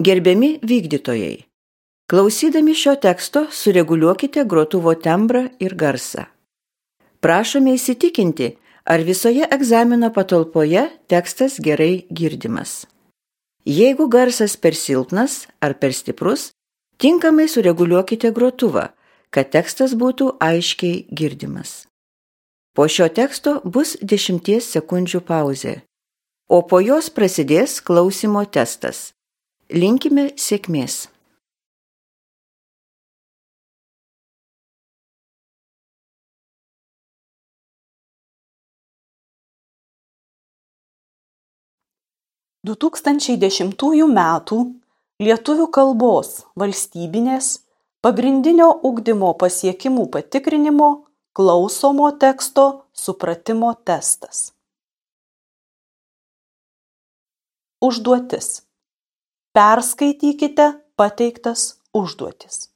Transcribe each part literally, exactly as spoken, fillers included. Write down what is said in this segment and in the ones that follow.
Gerbiami vykdytojai, klausydami šio teksto sureguliuokite grotuvo tembrą ir garsą. Prašome įsitikinti, ar visoje egzamino patalpoje tekstas gerai girdimas. Jeigu garsas per silpnas ar per stiprus, tinkamai sureguliuokite grotuvą, kad tekstas būtų aiškiai girdimas. Po šio teksto bus dešimties sekundžių pauzė, o po jos prasidės klausymo testas. Linkime sėkmės. du tūkstančiai dešimtųjų metų lietuvių kalbos valstybinės pagrindinio ugdymo pasiekimų patikrinimo klausomo teksto supratimo testas. Užduotis. Perskaitykite pateiktas užduotis.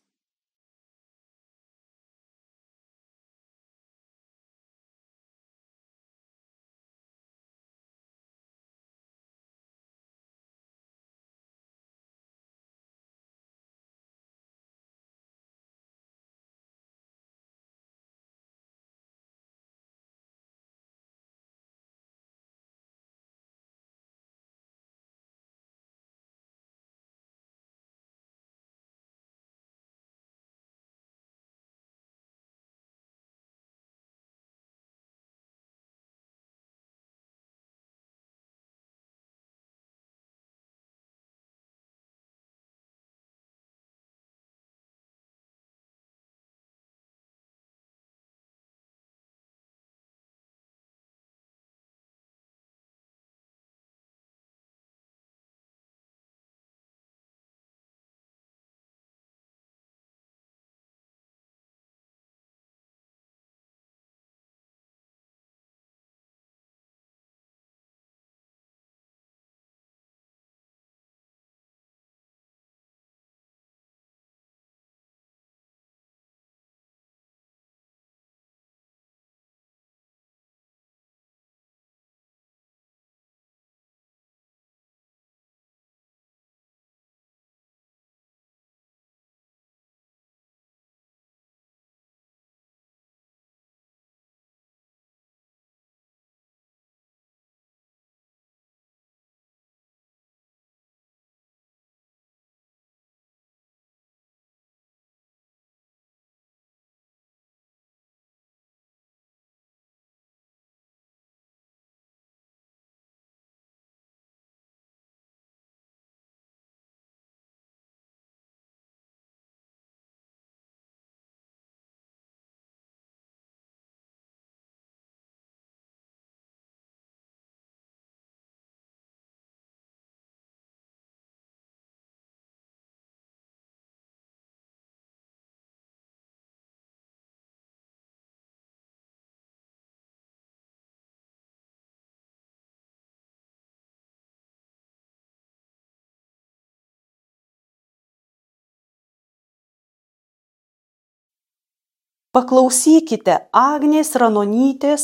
Paklausykite Agnės Ranonytės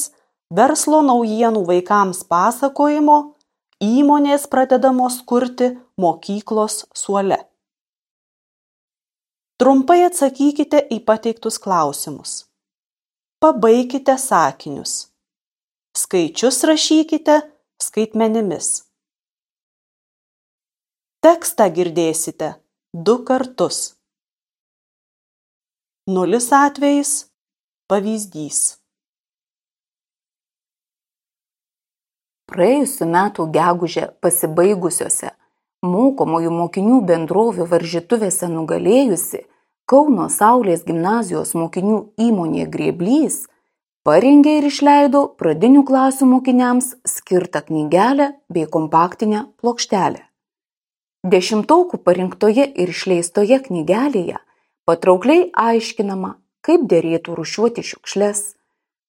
verslo naujienų vaikams pasakojimo Įmonės pradedamos kurti mokyklos suole. Trumpai atsakykite į pateiktus klausimus. Pabaikite sakinius. Skaičius rašykite skaitmenimis. Tekstą girdėsite du kartus. Nulis atvejis pavyzdys. Praėjusių metų gegužę pasibaigusiose mokomųjų mokinių bendrovių varžytuvėse nugalėjusi Kauno Saulės gimnazijos mokinių įmonė Grėblys parengė ir išleido pradinių klasių mokiniams skirtą knygelę bei kompaktinę plokštelę. Dešimtokų parinktoje ir išleistoje knygelėje patraukliai aiškinama, kaip derėtų rūšiuoti šiukšles,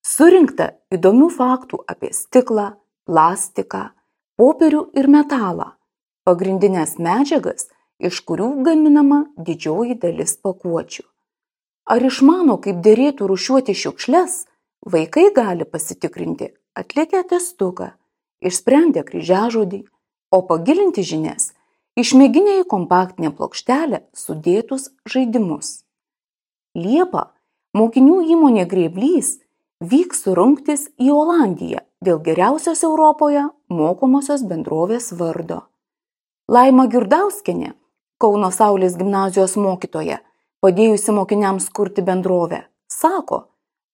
surinkta įdomių faktų apie stiklą, plastiką, popierių ir metalą, pagrindinės medžiagas, iš kurių gaminama didžioji dalis pakuočių. Ar išmano, kaip derėtų rūšiuoti šiukšles, vaikai gali pasitikrinti atlikę testuką, išsprendę kryžiažodį, o pagilinti žinias išmėginę į kompaktinę plokštelę sudėtus žaidimus. Liepą mokinių įmonė Grėblys vyks rungtis į Olandiją dėl geriausios Europoje mokomosios bendrovės vardo. Laima Girdauskienė, Kauno Saulės gimnazijos mokytoja, padėjusi mokiniams kurti bendrovę, sako,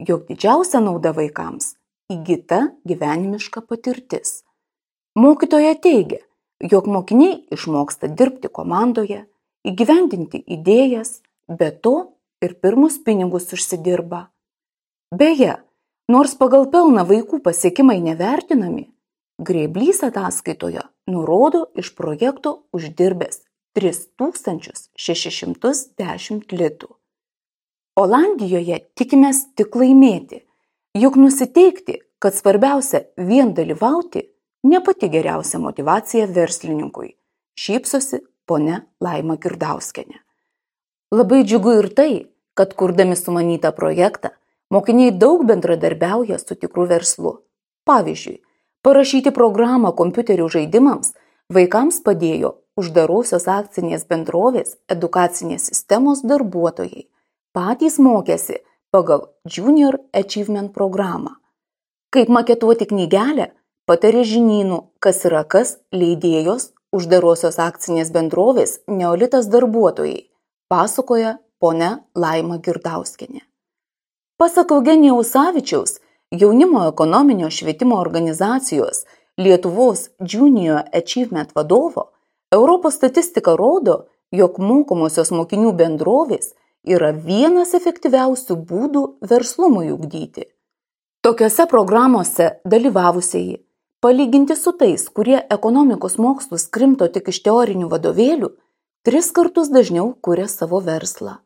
jog didžiausia nauda vaikams įgyta gyvenimiška patirtis. Mokytoja teigia, jog mokiniai išmoksta dirbti komandoje, įgyvendinti idėjas, be to ir pirmus pinigus užsidirba. Beje, nors pagal pelną vaikų pasiekimai nevertinami, Grėblys ataskaitoje nurodo iš projekto uždirbęs tris tūkstančius šešis šimtus dešimt litų. Olandijoje tikimės tik laimėti, juk nusiteikti, kad svarbiausia vien dalyvauti, ne pati geriausia motyvacija verslininkui, šypsosi ponia Laima Girdauskienė. Labai džiugu ir tai, kad kurdami sumanytą projektą, mokiniai daug bendradarbiauja su tikru verslu. Pavyzdžiui, parašyti programą kompiuterių žaidimams vaikams padėjo uždarosios akcinės bendrovės edukacinės sistemos darbuotojai. Patys mokėsi pagal Junior Achievement programą. Kaip maketuoti knygelę, patarė žinynų, kas yra kas leidėjos uždarosios akcinės bendrovės Neolitas darbuotojai, pasakoja ponia Laima Girdauskienė. Pasak Eugenijaus Savičiaus, jaunimo ekonominio švietimo organizacijos Lietuvos Junior Achievement vadovo, Europos statistika rodo, jog mokomosios mokinių bendrovės yra vienas efektyviausių būdų verslumui ugdyti. Tokiose programuose dalyvavusieji, palyginti su tais, kurie ekonomikos mokslus krimto tik iš teorinių vadovėlių, tris kartus dažniau kuria savo verslą.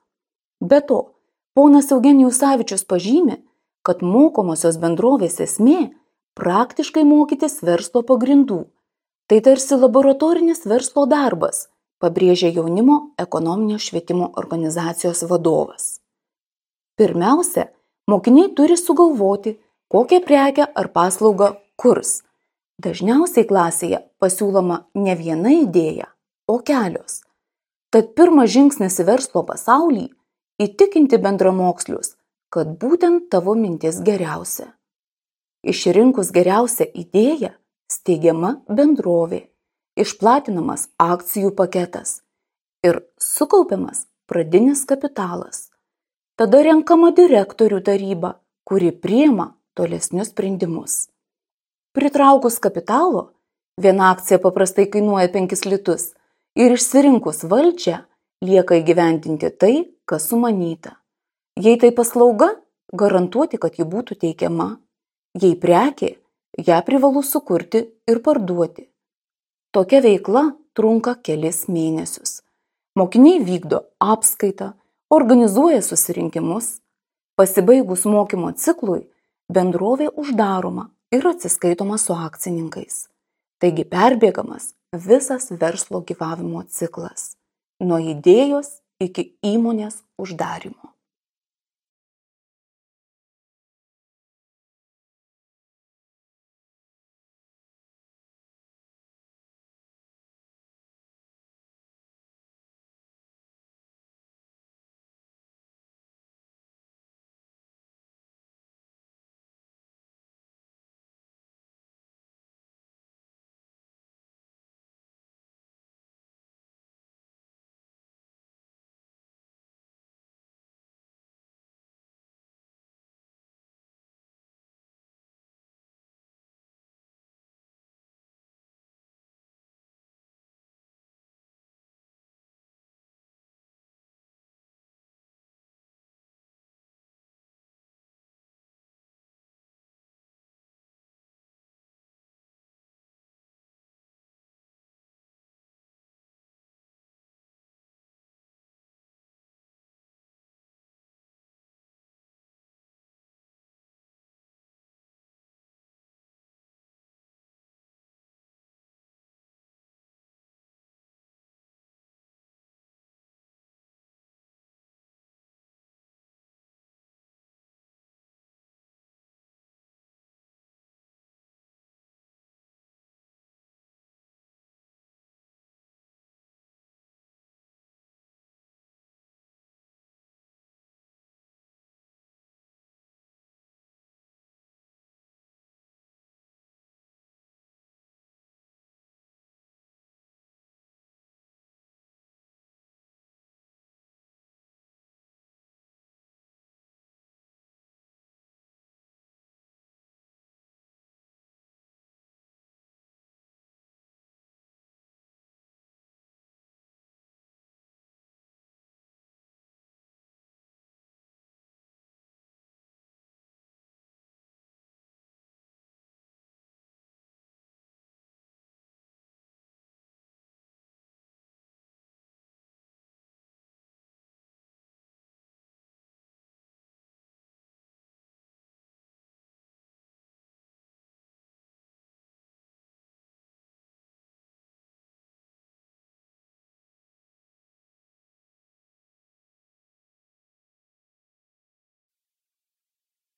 Be to, ponas Eugenijus Savičius pažymi, kad mokomosios bendrovės esmė praktiškai mokytis verslo pagrindų. Tai tarsi laboratorinis verslo darbas, pabrėžia jaunimo ekonominio švietimo organizacijos vadovas. Pirmiausia, mokiniai turi sugalvoti, kokią prekę ar paslaugą kurs. Dažniausiai klasėje pasiūloma ne viena idėja, o kelios. Tad pirmas žingsnis į verslo pasaulį – įtikinti bendramokslius, kad būtent tavo mintis geriausia. Išrinkus geriausią idėją, steigiama bendrovė, išplatinamas akcijų paketas ir sukaupiamas pradinis kapitalas. Tada renkama direktorių taryba, kuri priima tolesnius sprendimus. Pritraukus kapitalo, viena akcija paprastai kainuoja penkis litus ir išsirinkus valdžią lieka įgyvendinti tai, kas sumanyta. Jei tai paslauga, garantuoti, kad ji būtų teikiama. Jei prekė, ją privalu sukurti ir parduoti. Tokia veikla trunka kelis mėnesius. Mokiniai vykdo apskaitą, organizuoja susirinkimus. Pasibaigus mokymo ciklui, bendrovė uždaroma ir atsiskaitoma su akcininkais. Taigi perbėgamas visas verslo gyvavimo ciklas, nuo idėjos iki įmonės uždarymo.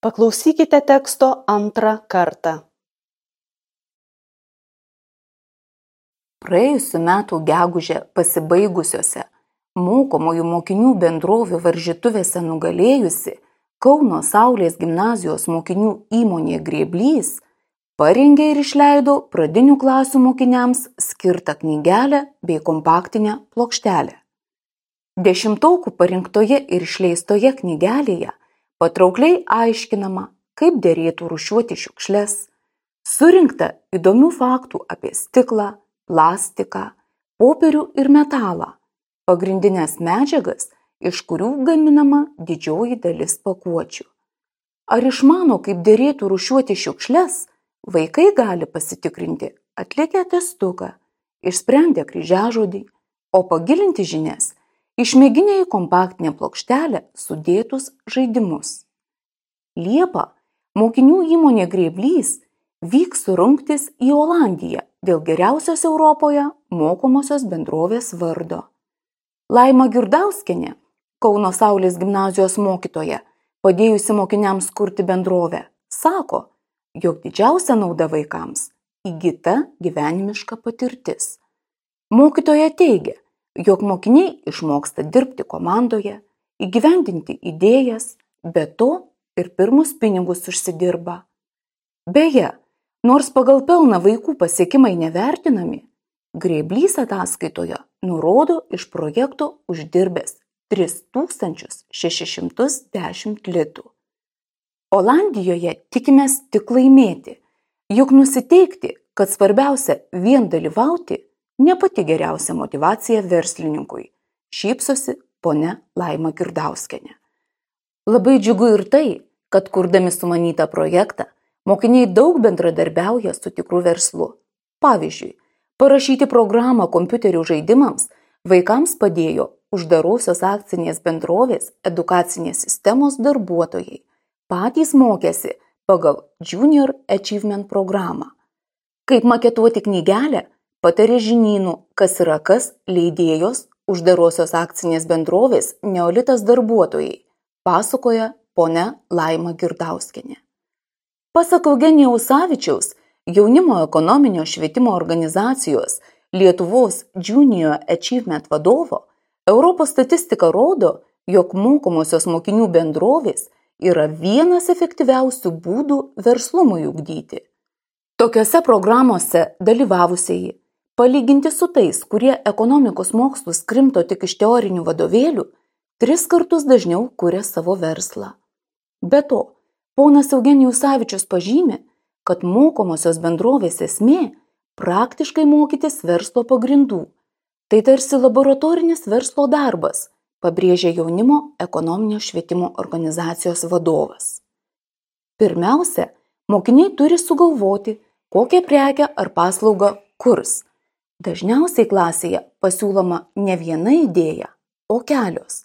Paklausykite teksto antrą kartą. Praėjusiu metu gegužę pasibaigusiose mokomųjų mokinių bendrovių varžytuvėse nugalėjusi Kauno Saulės gimnazijos mokinių įmonė Grėblys parengė ir išleido pradinių klasių mokiniams skirtą knygelę bei kompaktinę plokštelę. Dešimtokų parinktoje ir išleistoje knygelėje patraukliai aiškinama, kaip derėtų rūšiuoti šiukšles, surinkta įdomių faktų apie stiklą, plastiką, popierių ir metalą, pagrindinės medžiagas, iš kurių gaminama didžioji dalis pakuočių. Ar išmano, kaip derėtų rūšiuoti šiukšles, vaikai gali pasitikrinti atlikę testuką, išsprendę kryžiažodį, o pagilinti žinias išmėginę į kompaktinę plokštelę sudėtus žaidimus. Liepą mokinių įmonė Grėblys vyks rungtis į Olandiją dėl geriausios Europoje mokomosios bendrovės vardo. Laima Girdauskienė, Kauno Saulės gimnazijos mokytoja, padėjusi mokiniams kurti bendrovę, sako, jog didžiausia nauda vaikams įgyta gyvenimiška patirtis. Mokytoja teigia, jog mokiniai išmoksta dirbti komandoje, įgyvendinti idėjas, be to ir pirmus pinigus užsidirba. Beje, nors pagal pelną vaikų pasiekimai nevertinami, Grėblys ataskaitoje nurodo iš projekto uždirbęs tris tūkstančius šešis šimtus dešimt litų. Olandijoje tikimės tik laimėti, juk nusiteikti, kad svarbiausia vien dalyvauti, ne pati geriausia motyvacija verslininkui, šypsosi ponia Laima Girdauskienė. Labai džiugu ir tai, kad kurdami sumanytą projektą, mokiniai daug bendradarbiauja su tikru verslu. Pavyzdžiui, parašyti programą kompiuterių žaidimams vaikams padėjo uždarosios akcinės bendrovės edukacinės sistemos darbuotojai. Patys mokėsi pagal Junior Achievement programą. Kaip maketuoti knygelę, patarė žinynų, kas yra kas leidėjos uždarosios akcinės bendrovės Neolitas darbuotojai, pasakoja ponia Laima Girdauskienė. Pasak Eugenijaus Savičiaus, jaunimo ekonominio švietimo organizacijos Lietuvos Junior Achievement vadovo, Europos statistika rodo, jog mokomosios mokinių bendrovės yra vienas efektyviausių būdų verslumui ugdyti. Tokiose programuose dalyvavusieji, palyginti su tais, kurie ekonomikos mokslus krimto tik iš teorinių vadovėlių, tris kartus dažniau kuria savo verslą. Be to, ponas Eugenijus Savičius pažymi, kad mokomosios bendrovės esmė praktiškai mokytis verslo pagrindų. Tai tarsi laboratorinis verslo darbas, pabrėžia jaunimo ekonominio švietimo organizacijos vadovas. Pirmiausia, mokiniai turi sugalvoti, kokią prekę ar paslaugą kurs. Dažniausiai klasėje pasiūloma ne viena idėja, o kelios.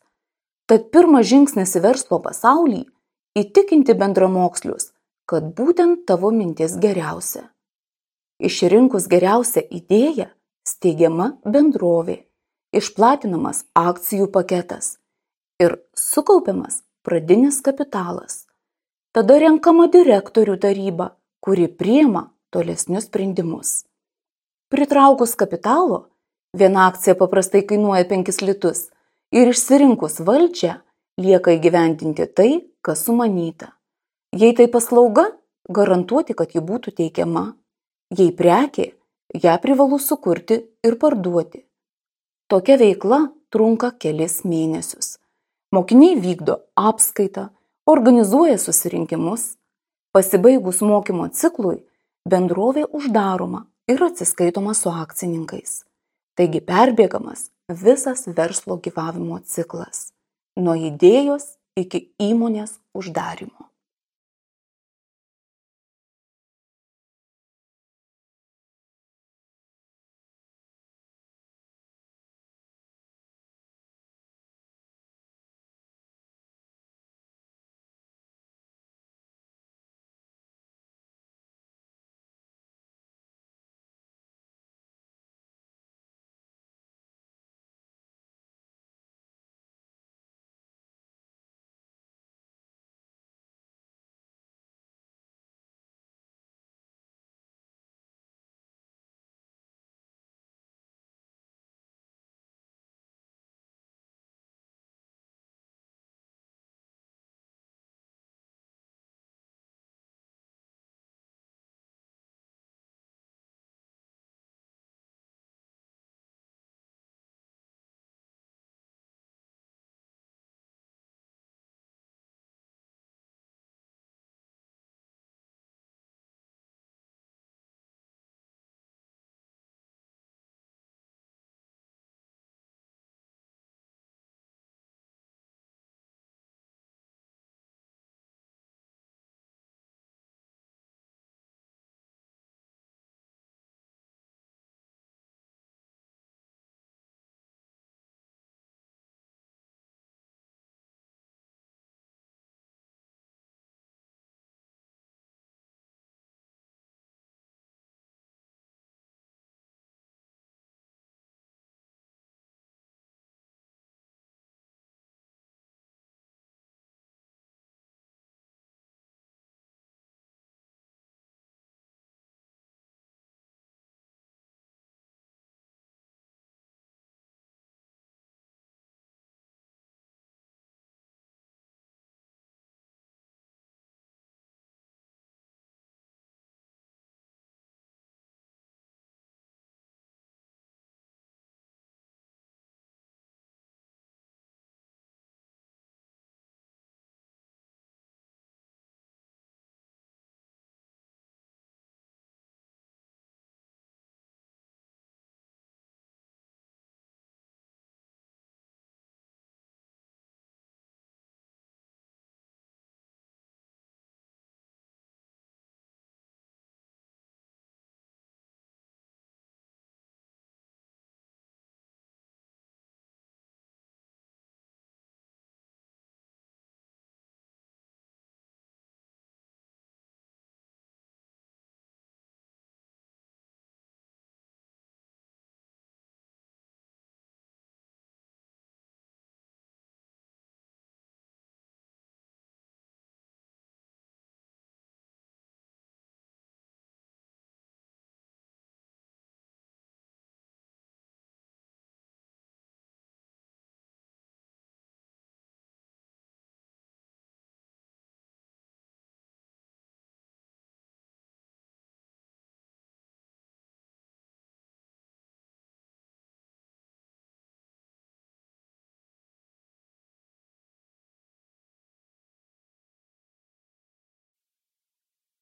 Tad pirmas žingsnis į verslo pasaulį – įtikinti bendramokslius, kad būtent tavo mintis geriausia. Išrinkus geriausią idėją, steigiama bendrovė, išplatinamas akcijų paketas ir sukaupiamas pradinis kapitalas. Tada renkama direktorių taryba, kuri priima tolesnius sprendimus. Pritraukus kapitalo, viena akcija paprastai kainuoja penkis litus ir išsirinkus valdžią lieka įgyvendinti tai, kas sumanyta. Jei tai paslauga, garantuoti, kad ji būtų teikiama. Jei prekė, ją privalu sukurti ir parduoti. Tokia veikla trunka kelis mėnesius. Mokiniai vykdo apskaitą, organizuoja susirinkimus. Pasibaigus mokymo ciklui, bendrovė uždaroma ir atsiskaitoma su akcininkais. Taigi perbėgamas visas verslo gyvavimo ciklas, nuo idėjos iki įmonės uždarymo.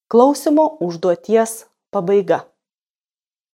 Klausimo užduoties pabaiga.